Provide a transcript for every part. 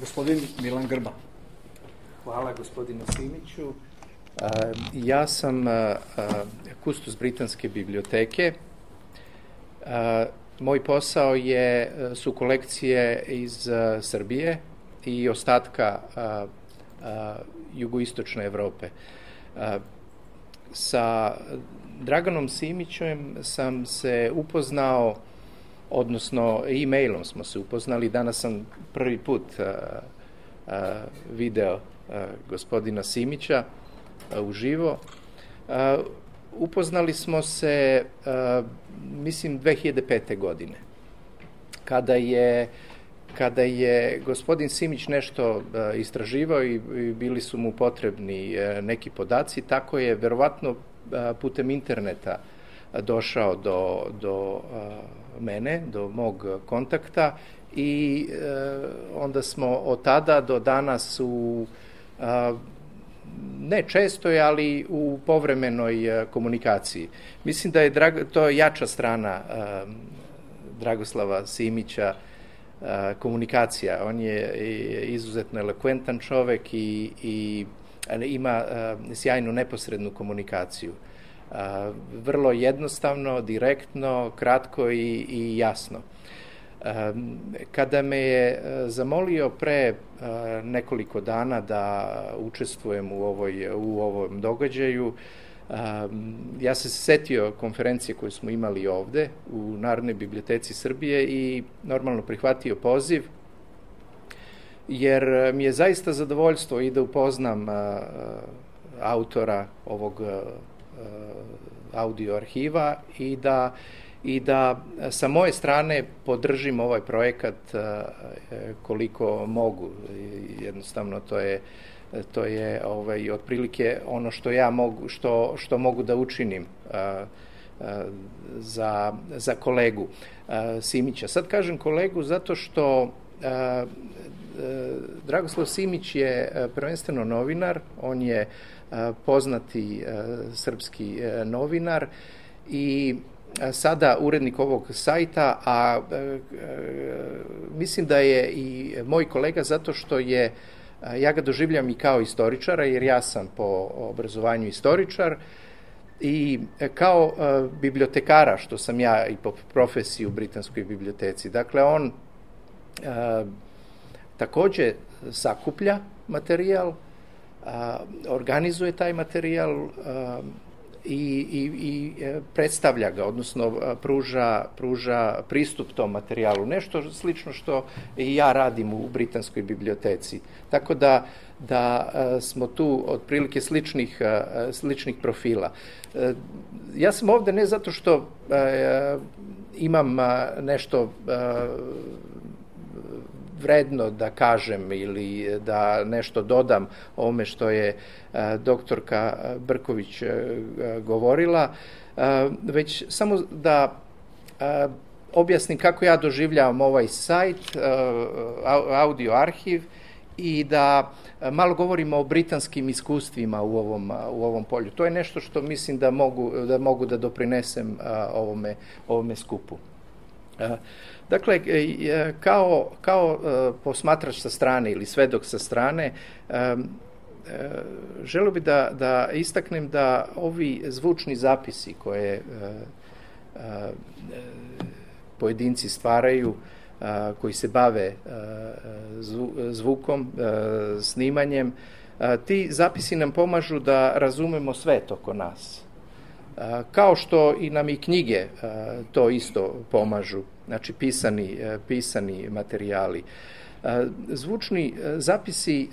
Gospodin Milan Grba. Hvala gospodinu Simiću. Ja sam kustos Britanske biblioteke. Moj posao su kolekcije iz Srbije i ostatka jugoistočne Evrope. Sa Draganom Simićem sam se upoznao, odnosno e-mailom smo se upoznali. Danas sam prvi put video gospodina Simića uživo. Upoznali smo se, mislim, 2005. godine, kada je gospodin Simić nešto istraživao i bili su mu potrebni neki podaci, tako je verovatno putem interneta došao do mene, do mog kontakta i onda smo od tada do danas ne čestoj, ali u povremenoj komunikaciji. Mislim da je to jača strana Dragoslava Simića, komunikacija. On je izuzetno elokventan čovek i ima sjajnu neposrednu komunikaciju. Vrlo jednostavno, direktno, kratko i jasno. Kada me je zamolio pre nekoliko dana da učestvujem u ovom događaju, ja sam se setio konferencije koju smo imali ovde u Narodnoj biblioteci Srbije i normalno prihvatio poziv, jer mi je zaista zadovoljstvo i da upoznam autora ovog audio arhiva i da sa moje strane podržim ovaj projekat koliko mogu. Jednostavno to je otprilike ono što ja mogu, što mogu da učinim za kolegu Simića. Sad kažem kolegu zato što Dragoslav Simić je prvenstveno novinar, on je poznati srpski novinar i sada urednik ovog sajta, a mislim da je i moj kolega zato što ja ga doživljam i kao istoričara, jer ja sam po obrazovanju istoričar, i kao bibliotekara, što sam ja i po profesiji u Britanskoj biblioteci. Dakle, on takođe sakuplja materijal, organizuje taj materijal i predstavlja ga, odnosno pruža pristup tom materijalu. Nešto slično što i ja radim u Britanskoj biblioteci. Tako da smo tu otprilike sličnih profila. Ja sam ovde ne zato što imam nešto vredno da kažem ili da nešto dodam ovome što je doktorka Brković govorila, već samo da objasnim kako ja doživljavam ovaj sajt, audio arhiv, i da malo govorimo o britanskim iskustvima u ovom polju. To je nešto što mislim da mogu da doprinesem ovome skupu. Dakle, kao posmatrač sa strane ili svedok sa strane, želeo bih da istaknem da ovi zvučni zapisi koje pojedinci stvaraju, koji se bave zvukom, snimanjem, ti zapisi nam pomažu da razumemo svet oko nas. Kao što i nam i knjige to isto pomažu, znači pisani materijali. Zvučni zapisi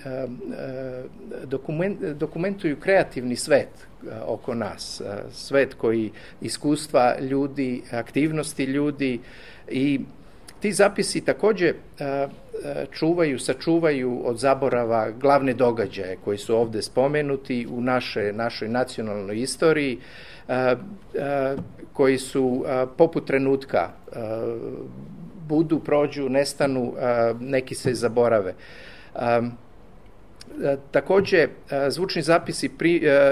dokumentuju kreativni svet oko nas, svet koji iskustva ljudi, aktivnosti ljudi, i ti zapisi takođe sačuvaju od zaborava glavne događaje koji su ovde spomenuti u našoj nacionalnoj istoriji, koji su poput trenutka, prođu, nestanu, neki se zaborave. Takođe, zvučni zapisi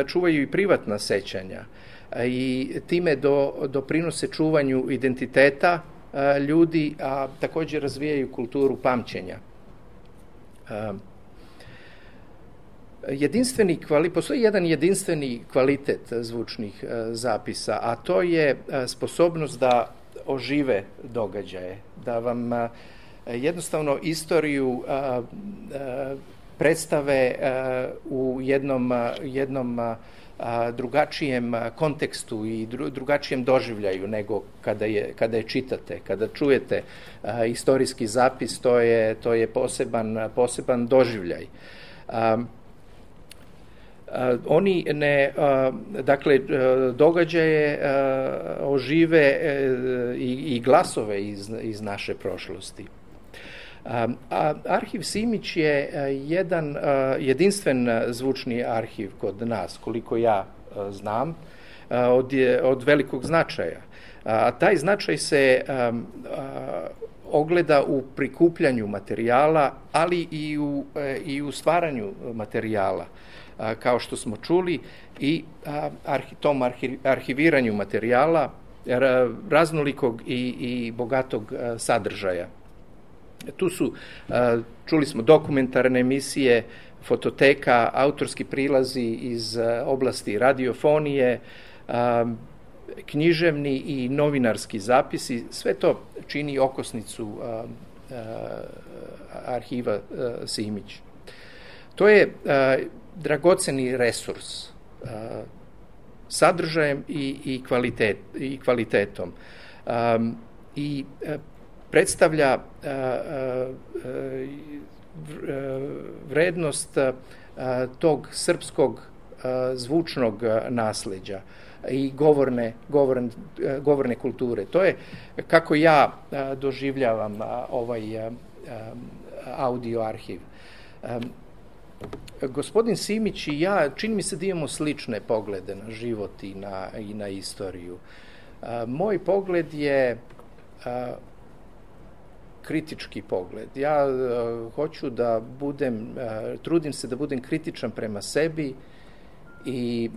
čuvaju i privatna sećanja i time doprinose čuvanju identiteta ljudi, a takođe razvijaju kulturu pamćenja. Postoji jedan jedinstveni kvalitet zvučnih zapisa, a to je sposobnost da ožive događaje, da vam jednostavno istoriju predstave u jednom drugačijem kontekstu i drugačijem doživljaju nego kada je čitate. Kada čujete istorijski zapis, to je poseban doživljaj. Dakle, događaje ožive i glasove iz naše prošlosti. Arhiv Simić je jedan jedinstven zvučni arhiv kod nas, koliko ja znam, od velikog značaja. A taj značaj se ogleda u prikupljanju materijala, ali i u stvaranju materijala, kao što smo čuli, i tom arhiviranju materijala raznolikog i bogatog sadržaja. Tu su, čuli smo, dokumentarne emisije, fototeka, autorski prilazi iz oblasti radiofonije, književni i novinarski zapisi. Sve to čini okosnicu arhiva Simić. To je dragoceni resurs sadržajem i kvalitetom i predstavlja vrednost tog srpskog zvučnog nasleđa i govorne kulture. To je kako ja doživljavam ovaj audio arhiv. Gospodin Simić i ja, čini mi se da imamo slične poglede na život i na istoriju. Moj pogled je kritički pogled. Ja hoću da trudim se da budem kritičan prema sebi i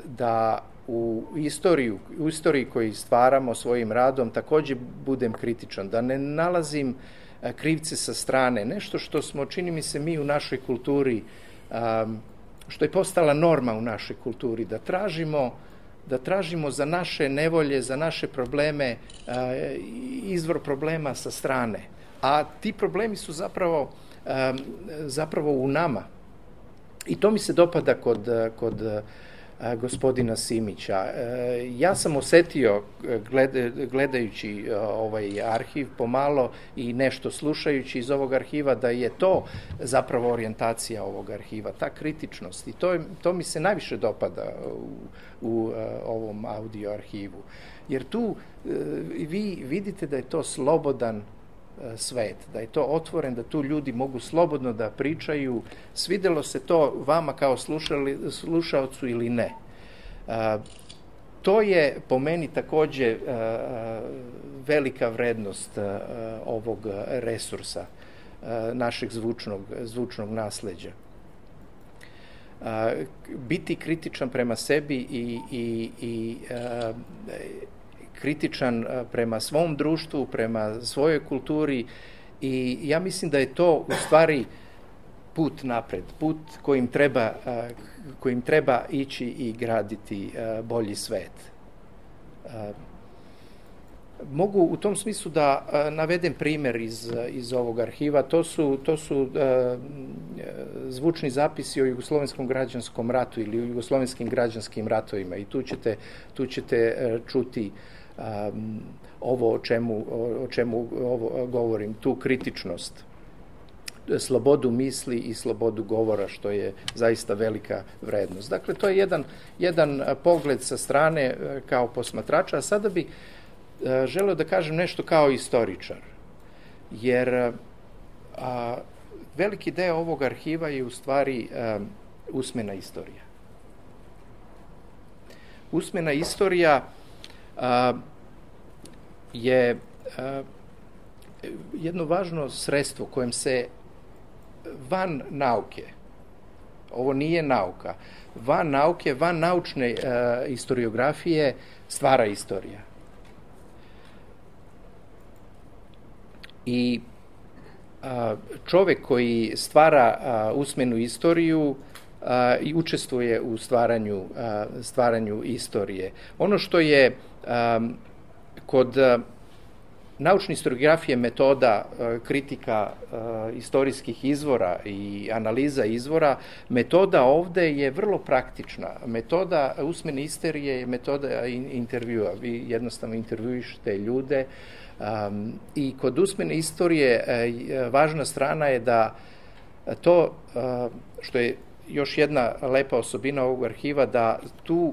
da u istoriji koju stvaramo svojim radom takođe budem kritičan, da ne nalazim krivce sa strane, nešto što smo, čini mi se, mi u našoj kulturi, što je postala norma u našoj kulturi, da tražimo za naše nevolje, za naše probleme izvor problema sa strane. A ti problemi su zapravo u nama. I to mi se dopada kod gospodina Simića. Ja sam osetio, gledajući ovaj arhiv pomalo i nešto slušajući iz ovog arhiva, da je to zapravo orijentacija ovog arhiva, ta kritičnost. I to mi se najviše dopada u ovom audio arhivu. Jer tu vi vidite da je to slobodan svet, da je to otvoren, da tu ljudi mogu slobodno da pričaju, svidelo se to vama kao slušaocu ili ne. To je po meni takođe velika vrednost ovog resursa, našeg zvučnog nasleđa. Biti kritičan prema sebi i kritičan prema svom društvu, prema svojoj kulturi, i ja mislim da je to u stvari put napred, put kojim treba ići i graditi bolji svet. Mogu u tom smislu da navedem primer iz ovog arhiva. To su zvučni zapisi o Jugoslovenskom građanskom ratu ili o Jugoslovenskim građanskim ratovima, i tu ćete čuti ovo o čemu govorim, tu kritičnost, slobodu misli i slobodu govora, što je zaista velika vrednost. Dakle, to je jedan pogled sa strane kao posmatrača, a sada bi želeo da kažem nešto kao istoričar, jer veliki deo ovog arhiva je u stvari usmena istorija. Usmena istorija je jedno važno sredstvo kojem se van nauke, ovo nije nauka, van nauke, van naučne historiografije stvara istorija. I čovek koji stvara usmenu istoriju i učestvuje u stvaranju istorije. Ono što je kod naučne historiografije metoda kritika istorijskih izvora i analiza izvora, metoda ovde je vrlo praktična. Metoda usmene istorije je metoda intervjua. Vi jednostavno intervjuišete ljude i kod usmene istorije važna strana je da to, što je još jedna lepa osobina ovog arhiva, da tu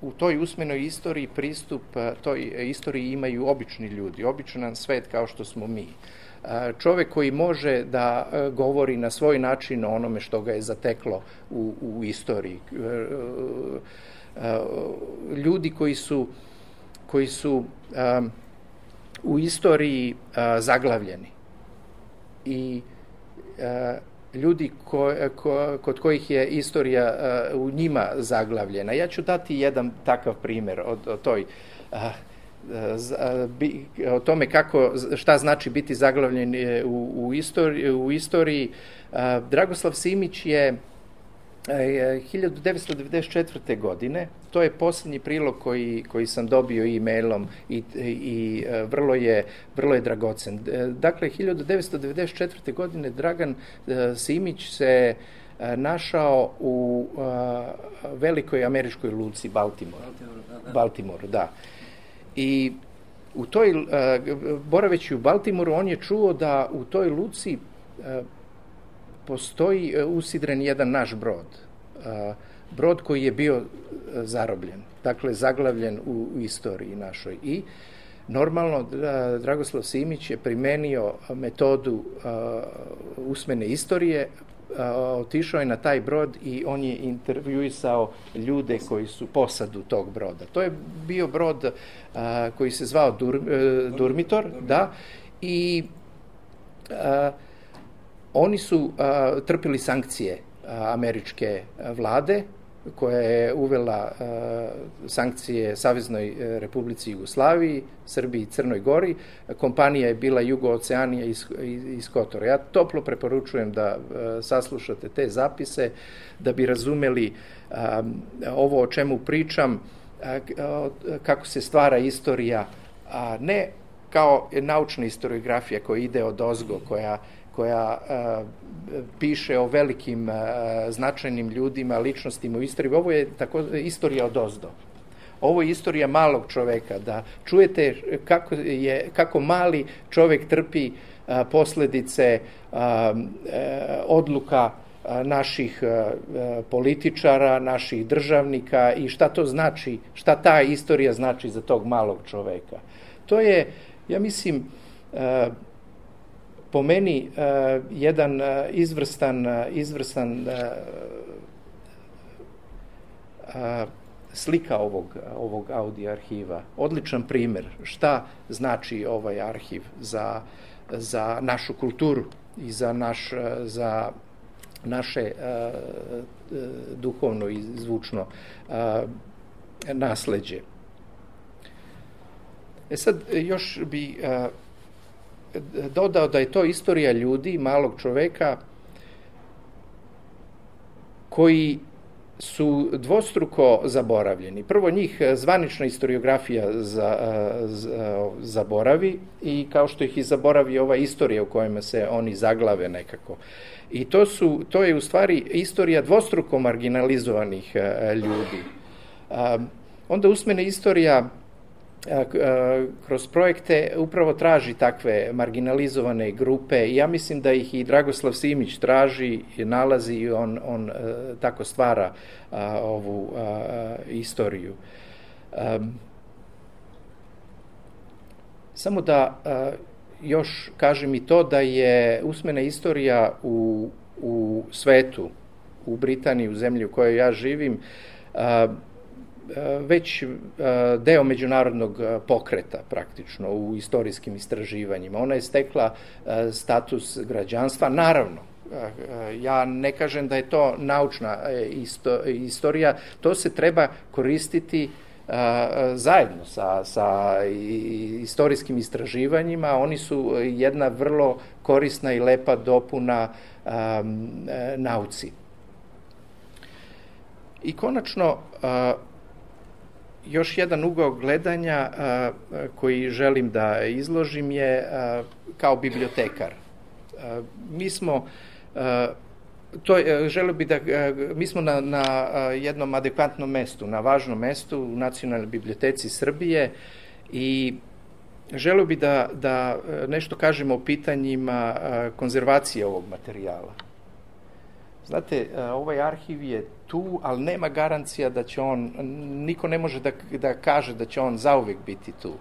u toj usmenoj istoriji pristup toj istoriji imaju obični ljudi, običan svet kao što smo mi. Čovek koji može da govori na svoj način o onome što ga je zateklo u istoriji. Ljudi koji su u istoriji zaglavljeni i ljudi kod kojih je istorija u njima zaglavljena. Ja ću dati jedan takav primer o tome šta znači biti zaglavljen u istoriji. Dragoslav Simić je 1994. godine, to je posljednji prilog koji sam dobio e-mailom i vrlo je dragocen. Dakle, 1994. godine Dragan Simić se našao u velikoj američkoj luci Baltimoru, da. I boraveći u Baltimoru, on je čuo da u toj luci postoji usidren jedan naš brod koji je bio zarobljen, dakle zaglavljen u istoriji našoj. I normalno Dragoslav Simić je primenio metodu usmene istorije, otišao je na taj brod i on je intervjuisao ljude koji su posadu tog broda. To je bio brod koji se zvao Durmitor, da, i oni su trpili sankcije američke vlade, koja je uvela sankcije Saveznoj Republici Jugoslaviji, Srbiji i Crnoj Gori. Kompanija je bila Jugooceanija iz Kotora. Ja toplo preporučujem da saslušate te zapise, da bi razumeli ovo o čemu pričam, kako se stvara istorija, a ne kao naučna historiografija koja ide odozgo, koja piše o velikim značajnim ljudima, ličnostima u istoriji. Ovo je istorija odozdo. Ovo je istorija malog čoveka, da čujete kako mali čovek trpi posledice odluka naših političara, naših državnika i šta to znači, šta ta istorija znači za tog malog čoveka. To je, ja mislim, po meni jedan izvrstan slika ovog audio arhiva. Odličan primer šta znači ovaj arhiv za našu kulturu i za naše duhovno i zvučno nasleđe. Sad još bi dodao da je to istorija ljudi, malog čoveka, koji su dvostruko zaboravljeni. Prvo njih zvanična historiografija zaboravi i kao što ih i zaboravi ova istorija u kojima se oni zaglave nekako. I to je u stvari istorija dvostruko marginalizovanih ljudi. Onda usmena istorija kroz projekte upravo traži takve marginalizovane grupe i ja mislim da ih i Dragoslav Simić traži, nalazi i on tako stvara ovu istoriju. Samo da još kažem i to da je usmena istorija u svetu, u Britaniji, u zemlji u kojoj ja živim, već deo međunarodnog pokreta praktično u istorijskim istraživanjima. Ona je stekla status građanstva. Naravno, ja ne kažem da je to naučna istorija, to se treba koristiti zajedno sa istorijskim istraživanjima, oni su jedna vrlo korisna i lepa dopuna nauci. I konačno, još jedan ugao gledanja koji želim da izložim je kao bibliotekar. Mi smo mi smo na jednom adekvatnom mestu, na važnom mestu u Nacionalnoj biblioteci Srbije i želeo bi da nešto kažemo o pitanjima konzervacije ovog materijala. Znate, ovaj arhiv je tu, ali nema garancija da će niko ne može da kaže da će on zauvek biti tu,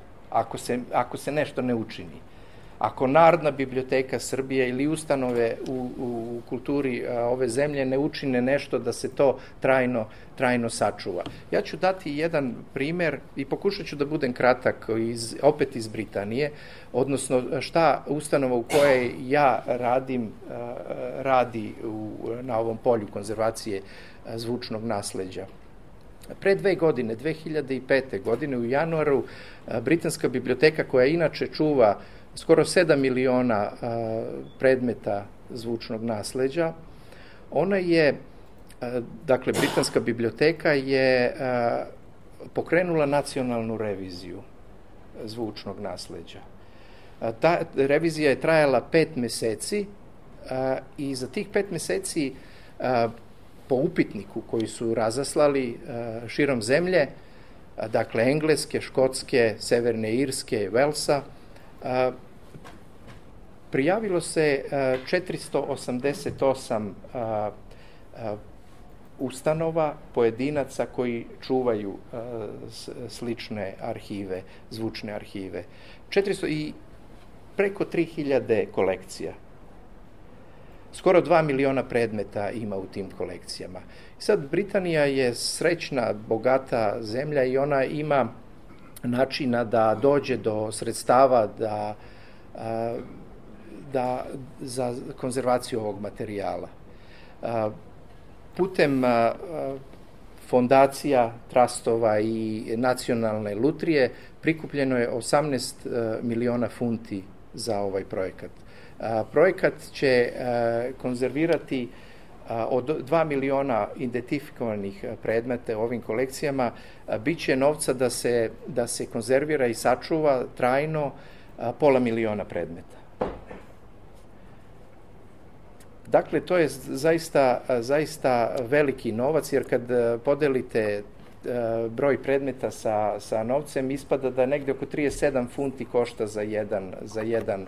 ako se nešto ne učini. Ako Narodna biblioteka Srbije ili ustanove u kulturi ove zemlje ne učine nešto da se to trajno sačuva. Ja ću dati jedan primer i pokušat ću da budem kratak, opet iz Britanije, odnosno šta ustanova u kojoj ja radim radi na ovom polju konzervacije zvučnog nasleđa. Pre 2 godine, 2005. godine u januaru, Britanska biblioteka, koja inače čuva skoro 7 miliona predmeta zvučnog nasleđa, ona je, dakle, Britanska biblioteka je pokrenula nacionalnu reviziju zvučnog nasleđa. Ta revizija je trajala 5 meseci i za tih 5 meseci po upitniku koji su razaslali širom zemlje, dakle Engleske, Škotske, Severne Irske, Velsa, prijavilo se 488 ustanova, pojedinaca koji čuvaju slične arhive, zvučne arhive. I preko 3000 kolekcija. Skoro 2 miliona predmeta ima u tim kolekcijama. Sad, Britanija je srećna, bogata zemlja i ona ima načina da dođe do sredstava za konzervaciju ovog materijala. Putem fondacija, trastova i nacionalne lutrije prikupljeno je 18 miliona funti za ovaj projekat. Projekat će konzervirati od 2 miliona identifikovanih predmeta u ovim kolekcijama, bit će novca da se konzervira i sačuva trajno 500.000 predmeta. Dakle, to je zaista veliki novac, jer kad podelite broj predmeta sa novcem, ispada da negde oko 37 funti košta za jedan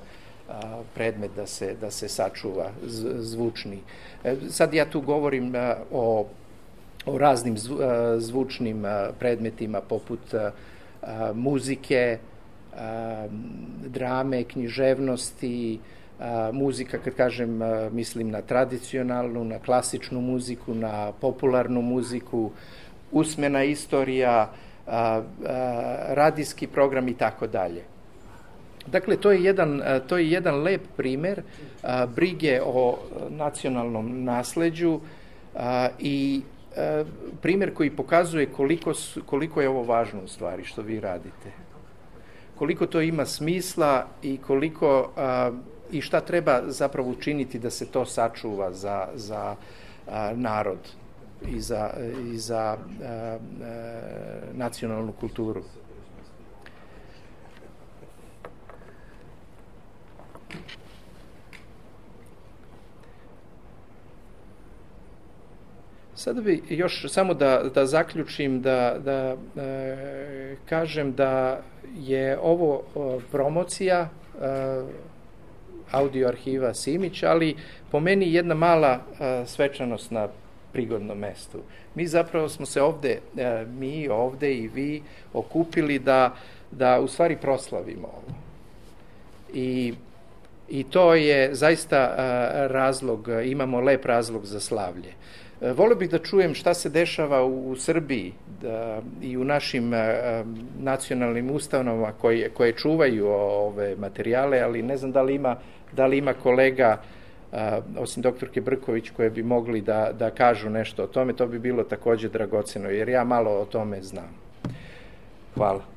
predmet da se sačuva zvučni. Sad ja tu govorim o raznim zvučnim predmetima poput muzike, drame, književnosti, muzika, kad kažem, mislim na tradicionalnu, na klasičnu muziku, na popularnu muziku, usmena istorija, radijski program i tako dalje. Dakle, to je jedan lep primer brige o nacionalnom nasleđu i primer koji pokazuje koliko je ovo važno u stvari što vi radite. Koliko to ima smisla i šta treba zapravo učiniti da se to sačuva za narod i za nacionalnu kulturu. Sada bi još samo da zaključim, da kažem da je ovo promocija audio arhiva Simić, ali po meni jedna mala svečanost na prigodnom mestu. Mi zapravo smo se ovde i vi okupili da u stvari proslavimo ovo. I to je zaista razlog, imamo lep razlog za slavlje. Volio bih da čujem šta se dešava u Srbiji i u našim nacionalnim ustanovama koje čuvaju ove materijale, ali ne znam da li ima kolega, osim doktorke Brković, koje bi mogli da kažu nešto o tome. To bi bilo takođe dragoceno, jer ja malo o tome znam. Hvala.